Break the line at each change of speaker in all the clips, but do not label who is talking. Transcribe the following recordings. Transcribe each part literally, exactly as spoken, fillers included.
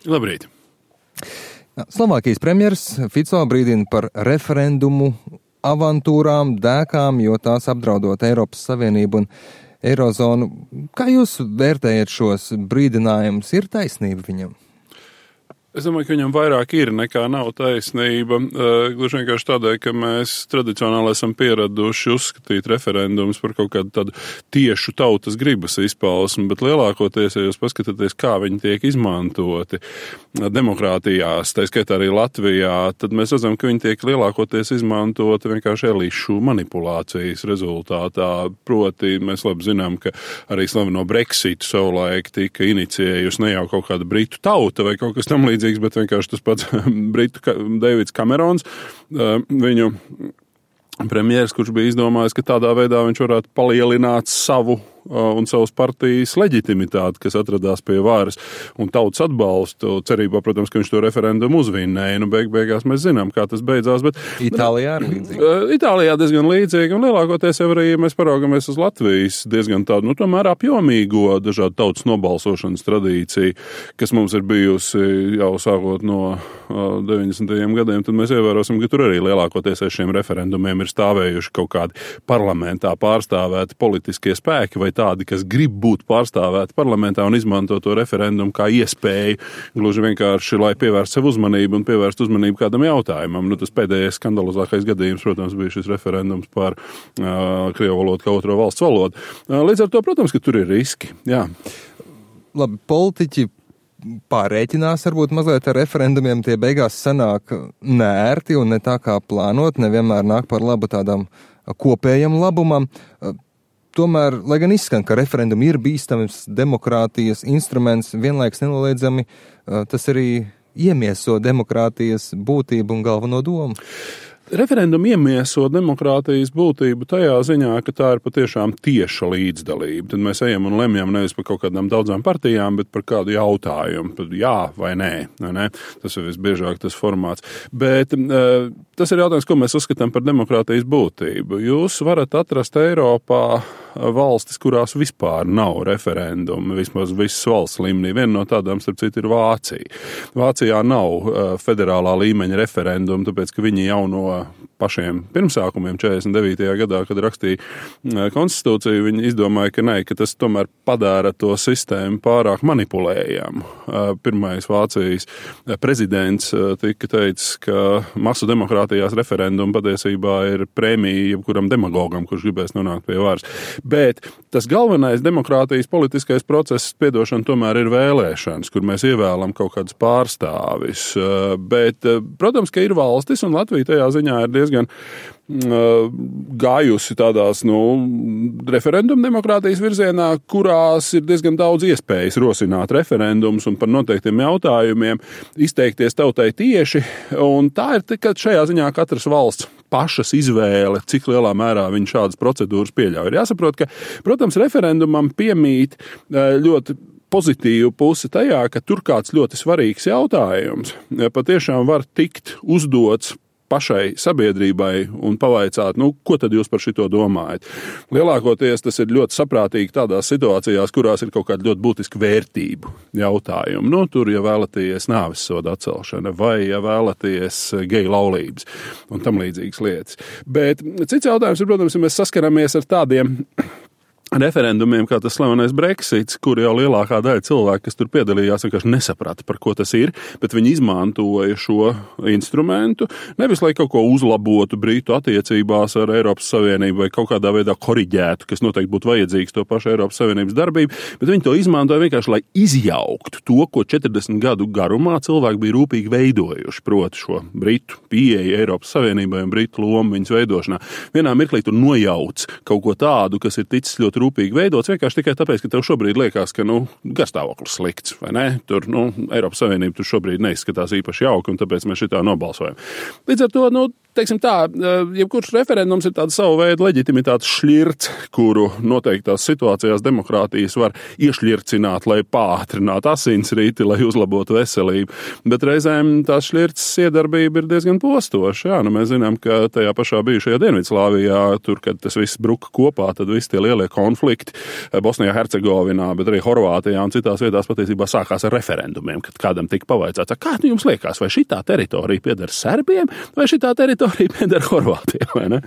Labrīt.
Slovākijas premjers Fico brīdina par referendumu avantūrām, dēkām, jo tās apdraudot Eiropas Savienību un Eirozonu. Kā jūs vērtējat šos brīdinājumus? Ir taisnība viņam?
Es domāju, ka viņam vairāk ir nekā nav taisnība. Gluži vienkārši tādēļ, ka mēs tradicionāli esam pieraduši uzskatīt referendumus par kaut kādu tādu tiešu tautas gribas izpausmi, bet lielākoties, ja jūs paskatāties, kā viņi tiek izmantoti demokrātijās, tā skaitā arī Latvijā, tad mēs redzam, ka viņi tiek lielākoties izmantoti vienkārši elišu manipulācijas rezultātā. Proti, mēs labi zinām, ka arī slaveno Brexitu savulaik tika inicijējusi ne jau kaut kāda britu tauta vai kaut kas tam līdzīgs, bet vienkārši tas pats britu Deivids Kamerons, viņu premjeras, kurš bija izdomājis, ka tādā veidā viņš varētu palielināt savu un savas partijas leģitimitāti, kas atradās pie varas un tautas atbalstu, cerībā, protams, ka viņš to referendumu uzvinnēja. Nu, beig beigās mēs zinām, kā tas beidzās, bet
Itālijā arī līdzīgi.
Itālijā diezgan līdzīgi, un lielākoties jau arī, ja mēs paraugamies uz Latvijas diezgan tādu, nu, tomēr apjomīgo dažādu tautas nobalsošanas tradīciju, kas mums ir bijusi jau sākot no deviņdesmitajiem gadiem, tad mēs ievērosim, ka tur arī lielākoties ar šiem referendumiem ir stāvējuši kaut kādi parlamentā pārstāvēti politiskie spēki vai tādi, kas grib būt pārstāvēti parlamentā un izmanto to referendumu kā iespēju, gluži vienkārši, lai pievērst sev uzmanību un pievērst uzmanību kādam jautājumam. Nu, tas pēdējais skandalozākais gadījums, protams, bija šis referendums par uh, krievu valodu kā otro valsts valodu. Uh, līdz ar to, protams, ka tur ir riski. Jā.
Labi, politiķi pārēķinās varbūt mazliet ar referendumiem, tie beigās sanāk nērti un ne tā kā plānot, nevienmēr nāk par labu tādam kopējam labumam. Tomēr, lai gan izskan, ka referendumi ir bīstams demokrātijas instruments, vienlaiks nenoliedzami tas arī iemieso demokrātijas būtību un galveno domu.
Referendumi iemieso demokrātijas būtību tajā ziņā, ka tā ir patiešām tieša līdzdalība. Tad mēs ejam un lemjam nevis par kaut kādām daudzām partijām, bet par kādu jautājumu, par jā vai nē. nē. Tas ir visbiežāk tas formāts. Bet uh, tas ir jautājums, ko mēs uzskatām par demokrātijas būtību. Jūs varat atrast Eiropā valstis, kurās vispār nav referendumi, vismaz visas valsts līmenī. Viena no tādām, starp citu, ir Vācija. Vācijā nav uh, federālā līmeņa referendumu, tāpēc, ka viņi jau no pašiem pirmsākumiem četrdesmit devītajā gadā, kad rakstīja konstitūciju, viņi izdomāja, ka nē, ka tas tomēr padara to sistēmu pārāk manipulējamu. Pirmais Vācijas prezidents tika teicis, ka masu demokrātijās referendumu patiesībā ir prēmija jebkuram demagogam, kurš gribēs nonākt pie varas. Bet tas galvenais demokrātijas politiskais process, piedošana, tomēr ir vēlēšanas, kur mēs ievēlam kaut kādus pārstāvis. Bet, protams, ka ir valstis, un Latvija tajā ziņā ir diezgan uh, gājusi tādās, nu, referendumu demokrātijas virzienā, kurās ir diezgan daudz iespējas rosināt referendumus un par noteiktiem jautājumiem izteikties tautai tieši, un tā ir tikai šajā ziņā katras valsts pašas izvēle, cik lielā mērā viņi šādas procedūras pieļauj. Ir jāsaprot, ka, protams, referendumam piemīt uh, ļoti pozitīvu pusi tajā, ka tur kāds ļoti svarīgs jautājums patiešām var tikt uzdots pašai sabiedrībai un pavaicāt, nu, ko tad jūs par šito domājat. Lielākoties tas ir ļoti saprātīgi tādās situācijās, kurās ir kaut kāda ļoti būtiska vērtību jautājumi. Nu, tur, ja vēlaties nāvessoda atcelšana vai, ja vēlaties geju laulības un tam līdzīgas lietas. Bet cits jautājums ir, protams, ja mēs saskaramies ar tādiem referendumiem, kā tas slavenais Brexits, kur jau lielākā daļa cilvēku, kas tur piedalījās, vienkārši nesaprata, par ko tas ir, bet viņi izmantoja šo instrumentu, nevis lai kaut ko uzlabotu Britu attiecībās ar Eiropas Savienību vai kaut kādā veidā koriģētu, kas noteikti būtu vajadzīgs to pašu Eiropas Savienības darbību, bet viņi to izmantoja vienkārši, lai izjauktu to, ko četrdesmit gadu garumā cilvēki bija rūpīgi veidojuši, proti šo Britu pieeju Eiropas Savienībai un Britu lomu viņas veidošanā. Vienā mirklī tu nojauc kaut ko tādu, kas ir ticis ļoti rūpīgi veidots, vienkārši tikai tāpēc, ka tev šobrīd liekas, ka, nu, garstāvoklis slikts, vai ne? Tur, nu, Eiropas Savienība tur šobrīd neizskatās īpaši jauki, un tāpēc mēs šitā nobalsojam. Līdz ar to, nu, teiksim tā, jebkurš referendums ir tāda savu veidu leģitimitātes šļirts, kuru noteiktās situācijās demokrātijas var iešļircināt, lai pātrinātu asinsrīti, lai uzlabotu veselību. Bet reizēm tās šļirts iedarbība ir diezgan postoša. Jā, nu, mēs zinām, ka tajā pašā bijušajā Dienvidslāvijā, tur, kad tas viss bruka kopā, tad visi tie lielie konflikti Bosnijā, Hercegovinā, bet arī Horvātijā un citās vietās patiesībā sākās ar referendumiem, kad kādam tika pavaicāts, kā jums liekas, vai šitā teritorija pieder Serbiem, vai šitā teritorija pieder Horvātiem, vai ne?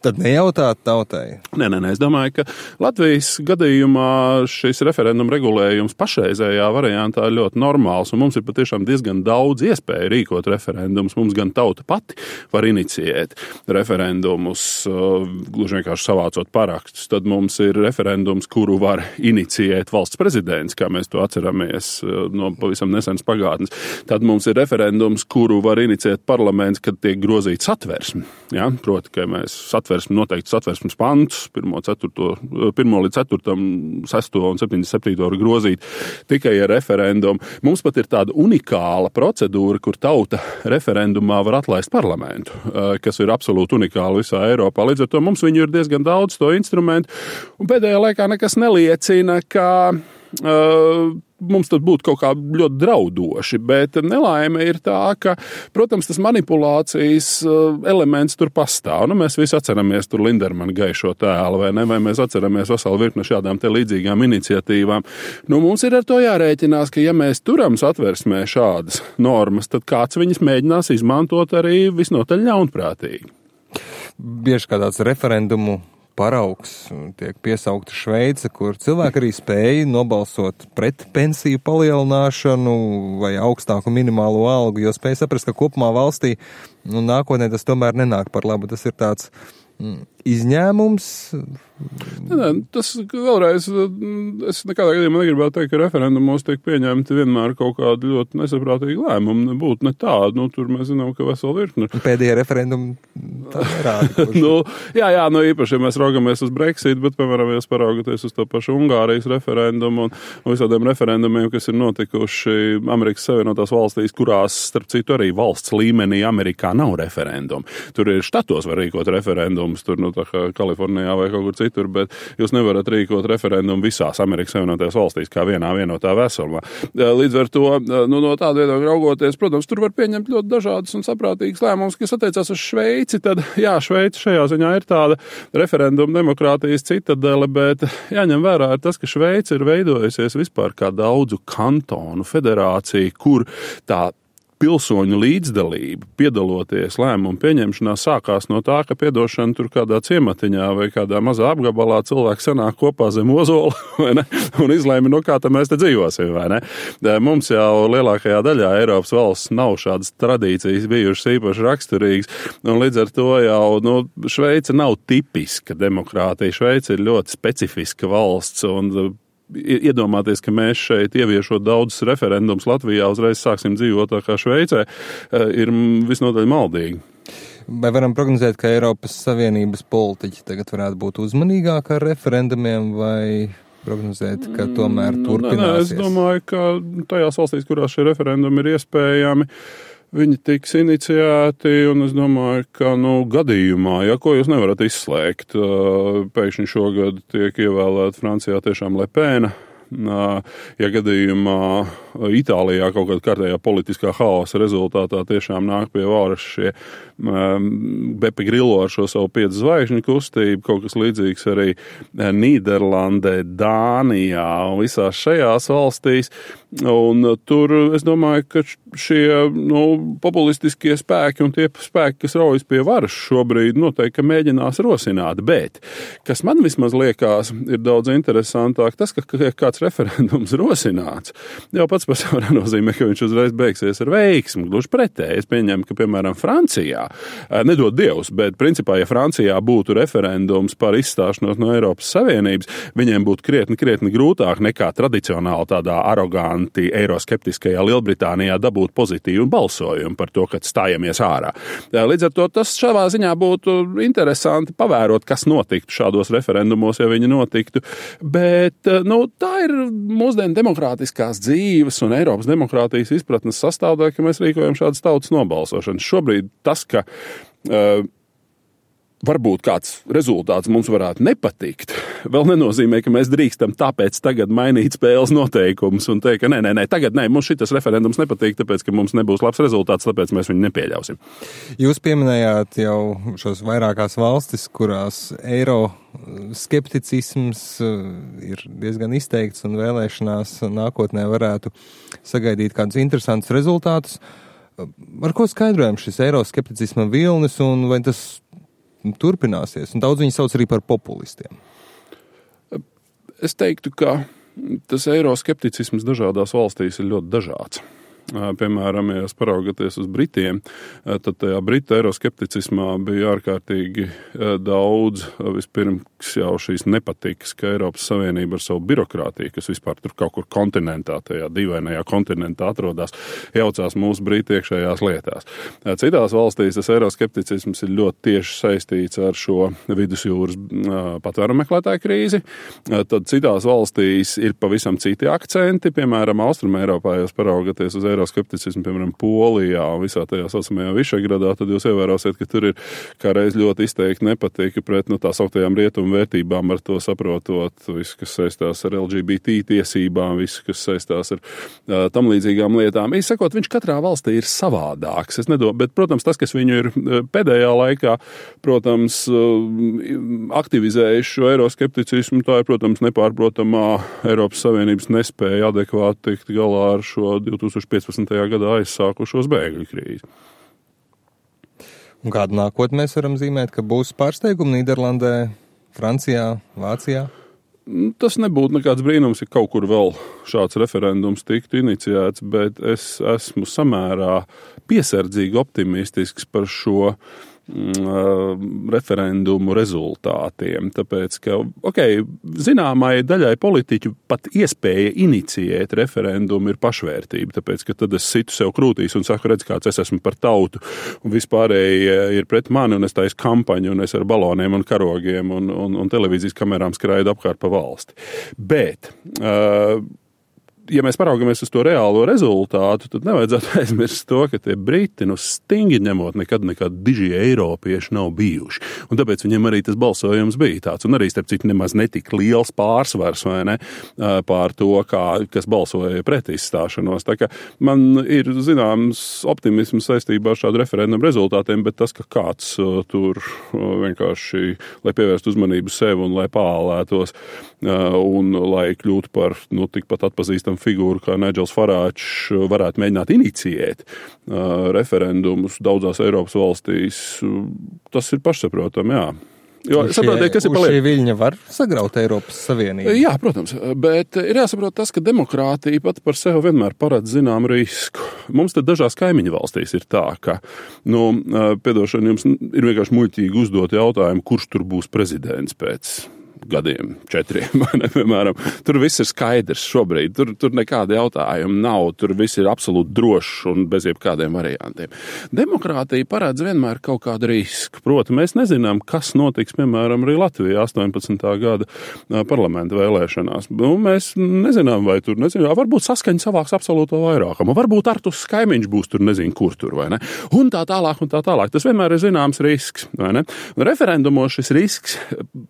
Tad nejautāt tautai.
Nē, nē, nē, es domāju, ka Latvijas gadījumā šis referendum regulējums pašreizējā variantā ir ļoti normāls, un mums ir patiešām diezgan daudz iespēju rīkot referendumus. Mums gan tauta pati var inicijēt referendumus, gluži vienkārši savācot parakstus. Tad mums ir referendums, kuru var inicijēt valsts prezidents, kā mēs to atceramies no pavisam nesenas pagātnes. Tad mums ir referendums, kuru var inicijēt parlaments, kad tiek grozīts satversme. Ja? Proti, ka mēs satversmi, noteikti satversmes pantus, pirmo, ceturto, pirmo līdz ceturtam, sesto un septiņdesmit septīto var grozīt tikai ar referendumu. Mums pat ir tāda unikāla procedūra, kur tauta referendumā var atlaist parlamentu, kas ir absolūti unikāla visā Eiropā. Līdz ar to mums viņu ir diezgan daudz to instrumentu, un pēdējā laikā nekas neliecina, ka uh, mums tad būtu kaut kā ļoti draudoši, bet nelaime ir tā, ka, protams, tas manipulācijas elements tur pastāv. Nu, mēs visi atceramies tur Lindermana gaišo tēlu, vai ne, vai mēs atceramies veselu virkni šādām te līdzīgām iniciatīvām. Nu, mums ir ar to jārēķinās, ka ja mēs turam satversmē šādas normas, tad kāds viņas mēģinās izmantot arī visnotaļ ļaunprātīgi.
Bieži kā tāds referendumu paraugs tiek piesaukta Šveice, kur cilvēki arī spēja nobalsot pret pensiju palielināšanu vai augstāku minimālo algu, jo spēja saprast, ka kopumā valstī nu, nākotnē tas tomēr nenāk par labu. Tas ir tāds mm, izņēmums.
Nē, nē, tas vēlreiz, es nekādā gadījumā negribētu teikt, ka referendumos tiek pieņemti vienmēr kaut kādi ļoti nesaprātīgi lēmumi. Nebūtu ne tādi, nu, tur mēs zinām, ka vesela virkne.
Pēdējie referendumi tā nerāda.
nu, jā, jā, nu īpaši, ja mēs raugamies uz Brexit, bet, piemēram, ja paraugoties uz to pašu Ungārijas referendumu un, un visādiem referendumiem, kas ir notikuši Amerikas Savienotās valstīs, kurās, starp citu, arī valsts līmenī Amerikā nav referendumu. Tur ir štatos var rīkot referendumus, tur, nu, tā kā Kalifornijā vai kaut kur citur, bet jūs nevarat rīkot referendumu visās Amerikas Savienotajās valstīs kā vienā vienotā veselumā. Līdz ar to, nu, no tāda viedokļa raugoties, protams, tur var pieņemt ļoti dažādas un saprātīgas lēmumus, kas attiecās uz Šveici, tad, jā, Šveica šajā ziņā ir tāda referenduma demokrātijas citadele, bet jāņem vērā ir tas, ka Šveica ir veidojusies vispār kā daudzu kantonu federācija, kur tā pilsoņu līdzdalība, piedaloties lēmumu pieņemšanā, sākās no tā, ka piedošana tur kādā ciematiņā vai kādā mazā apgabalā cilvēki sanāk kopā zem ozola, vai ne, un izlēma, no kā tā mēs te dzīvosim, vai ne. Mums jau lielākajā daļā Eiropas valsts nav šādas tradīcijas bijušas īpaši raksturīgas, un līdz ar to jau, nu, Šveica nav tipiska demokrātija. Šveica ir ļoti specifiska valsts, un iedomāties, ka mēs šeit ieviešot daudzus referendums Latvijā uzreiz sāksim dzīvot tā kā Šveicē, ir visnotaļ maldīgi.
Vai varam prognozēt, ka Eiropas Savienības politiķi tagad varētu būt uzmanīgāki ar referendumiem vai prognozēt, ka tomēr turpināsies?
Nē, nē, es domāju, ka tajās valstīs, kurās šie referendumi ir iespējami, viņi tiks iniciēti, un es domāju, ka, nu, gadījumā, ja ko jūs nevarat izslēgt, pēkšņi šogad tiek ievēlēta Francijā tiešām Le Pen, ja gadījumā Itālijā kaut kādā kārtējā politiskā haosa rezultātā tiešām nāk pie varas šie um, Beppe Grillo ar šo savu piecu zvaigžņu kustību, kaut kas līdzīgs arī Nīderlandē, Dānijā un visās šajās valstīs. Un tur es domāju, ka šie, nu, populistiskie spēki un tie spēki, kas raujas pie varas šobrīd, noteikti mēģinās rosināt. Bet, kas man vismaz liekas, ir daudz interesantāk, tas, ka kāds referendums rosināts, jau pats par sevi nenozīmē, ka viņš uzreiz beigsies ar veiksmu. Gluži pretēji. Es pieņemu, ka, piemēram, Francijā, nedod Dievs, bet principā, ja Francijā būtu referendums par izstāšanos no Eiropas Savienības, viņiem būtu krietni, krietni grūtāk nekā tradicionāli tādā aroganti eiroskeptiskajā Lielbritānijā dabūt pozitīvu balsojumu par to, kad stājamies ārā. Līdz ar to tas šādā ziņā būtu interesanti pavērot, kas notiktu šādos referendumos, ja viņi notiktu. Bet, nu, tā ir mūsdienu demokrātiskās dzīves un Eiropas demokrātijas izpratnes sastāvdaļa, ka mēs rīkojam šādas tautas nobalsošanas. Šobrīd tas, ka uh, varbūt kāds rezultāts mums varētu nepatikt, vēl nenozīmē, ka mēs drīkstam tāpēc tagad mainīt spēles noteikumus un teikt, ka nē, nē, nē, tagad nē, mums šitas referendums nepatīk, tāpēc, ka mums nebūs labs rezultāts, tāpēc mēs viņu nepieļausim.
Jūs pieminējāt jau šos vairākās valstis, kurās eiro skepticisms ir diezgan izteikts un vēlēšanās nākotnē varētu sagaidīt kādus interesantus rezultātus. Ar ko skaidrojam šis eiro skepticisma vilnis un vai tas turpināsies, un daudz viņi sauc arī par populistiem?
Es teiktu, ka tas eiroskepticisms dažādās valstīs ir ļoti dažāds. Piemēram, ja jūs paraugaties uz Britiem, tad tajā Britu eiroskepticismā bija ārkārtīgi daudz vispirms jau šīs nepatikas, ka Eiropas Savienība ar savu birokrātiju, kas vispār tur kaut kur kontinentā, tajā dīvainajā kontinentā atrodas, jaucās mūsu Britu iekšējās lietās. Citās valstīs tas eiroskepticisms ir ļoti tieši saistīts ar šo vidusjūras patvērumu meklētāju krīzi. Tad citās valstīs ir pavisam citi akcenti, piemēram, Austruma Eiropā, ja jūs paraugaties uz eiroskepticismu, piemēram, Polijā un visā tajā saucamajā Višegradā, tad jūs ievērosiet, ka tur ir kā reiz ļoti izteikti nepatika pret nu, tā sauktajām rietumu vērtībām, ar to saprotot visu, kas saistās ar L G B T tiesībām, visu, kas saistās ar uh, tam līdzīgām lietām. Īsi sakot, viņš katrā valstī ir savādāks. Es nedomāju, bet, protams, tas, kas viņu ir pēdējā laikā, protams, uh, aktivizējis šo eiroskepticismu, tā ir, protams, nepārprotamā Eiropas Savienības nespēja adekvāti tikt galā ar šo divtūkstoš piecpadsmitajā gadā aizsākušos bēgļu krīzi.
Un kādu nākotni mēs varam zīmēt, ka būs pārsteigumi Nīderlandē, Francijā, Vācijā?
Tas nebūtu nekāds brīnums, ja kaut kur vēl šāds referendums tiktu iniciēts, bet es esmu samērā piesardzīgi optimistisks par šo referendumu rezultātiem, tāpēc, ka, ok, zināmai daļai politiķu pat iespēja iniciēt referendumu ir pašvērtība, tāpēc, ka tad es situ sev krūtīs un saku, redz, kāds es esmu par tautu, un vispārēji ir pret mani, un es taisu kampaņu, un es ar baloniem un karogiem un, un, un televīzijas kamerām skraidu apkārt pa valsti. Bet, uh, ja mēs paraugamies uz to reālo rezultātu, tad nevajadzētu aizmirst to, ka tie briti, nu stingri ņemot, nekad nekad diži eiropieši nav bijuši. Un tāpēc viņiem arī tas balsojums bija tāds. Un arī, starp citu, nemaz netika liels pārsvars, vai ne, pār to, kā, kas balsoja pret izstāšanos. Tā kā man ir zināms optimisms saistībā ar šādu referendumu rezultātiem, bet tas, ka kāds tur vienkārši, lai pievērst uzmanību sev un lai pālētos un lai kļūtu par, nu, tikpat atpazīstam figūru, kā Nigels Farāčs varētu mēģināt iniciēt uh, referendumus daudzās Eiropas valstīs, tas ir pašsaprotam, jā. Jo,
šie,
saprotiet, kas ir paliek?
Šie viļņi var sagraut Eiropas Savienību?
Jā, protams, bet ir jāsaprot tas, ka demokrātija pat par sevi vienmēr paredz zinām risku. Mums te dažās kaimiņu valstīs ir tā, ka, nu, piedošana, jums ir vienkārši muļķīgi uzdot jautājumu, kurš tur būs prezidents pēc gadiem, četriem, vai ne, piemēram. Tur viss ir skaidrs šobrīd, tur, tur nekāda jautājuma nav, tur viss ir absolūti drošs un bez jebkādiem variantiem. Demokrātija paredz vienmēr kaut kādu risku. Proti, mēs nezinām, kas notiks, piemēram, arī Latvijā astoņpadsmitā gada parlamenta vēlēšanās. Nu, mēs nezinām, vai tur, nezinām, varbūt saskaņa savāks absolūto vairākumu, varbūt Artus Kaimiņš būs tur, nezinu, kur tur, vai ne, un tā tālāk, un tā tālāk. Tas vienmēr ir zināms risks, vai ne. Un referendumos šis risks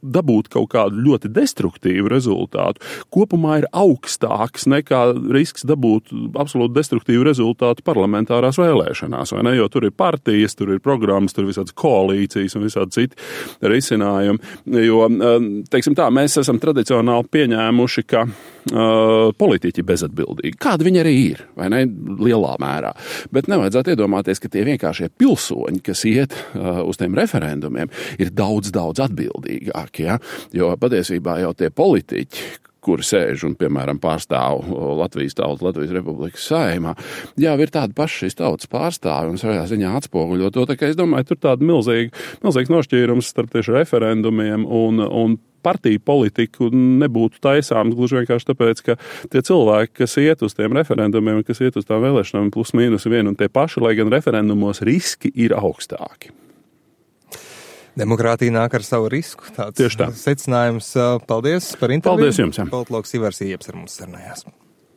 dabūt kaut kādu ļoti destruktīvu rezultātu kopumā ir augstāks nekā risks dabūt absolūti destruktīvu rezultātu parlamentārās vēlēšanās, vai ne? Jo tur ir partijas, tur ir programmas, tur ir visādas koalīcijas un visādi citi risinājumi. Jo, teiksim tā, mēs esam tradicionāli pieņēmuši, ka uh, politiķi bezatbildīgi. Kādi viņi arī ir, vai ne? Lielā mērā. Bet nevajadzētu iedomāties, ka tie vienkāršie pilsoņi, kas iet uh, uz tiem referendumiem, ir daudz, daudz atbildīgāki, ja? Jo patiesībā jau tie politiķi, kuri sēž un, piemēram, pārstāv Latvijas tautu, Latvijas Republikas Saeimā, jā, ir tādi paši šīs tautas pārstāvi un savā ziņā atspoguļo to, tā kā es domāju, tur tāda milzīga, milzīgs nošķīrums starp tieši referendumiem un, un partiju politiku nebūtu taisāms gluži vienkārši tāpēc, ka tie cilvēki, kas iet uz tiem referendumiem, kas iet uz tām vēlēšanām plus mīnus vien un tie paši, lai gan referendumos riski ir augstāki.
Demokrātija nāk ar savu risku. Tāds
Tieši tā.
Secinājums. Paldies par interviju.
Paldies jums. Jā.
Politologs Ivars Ieps ar mums sarunājās.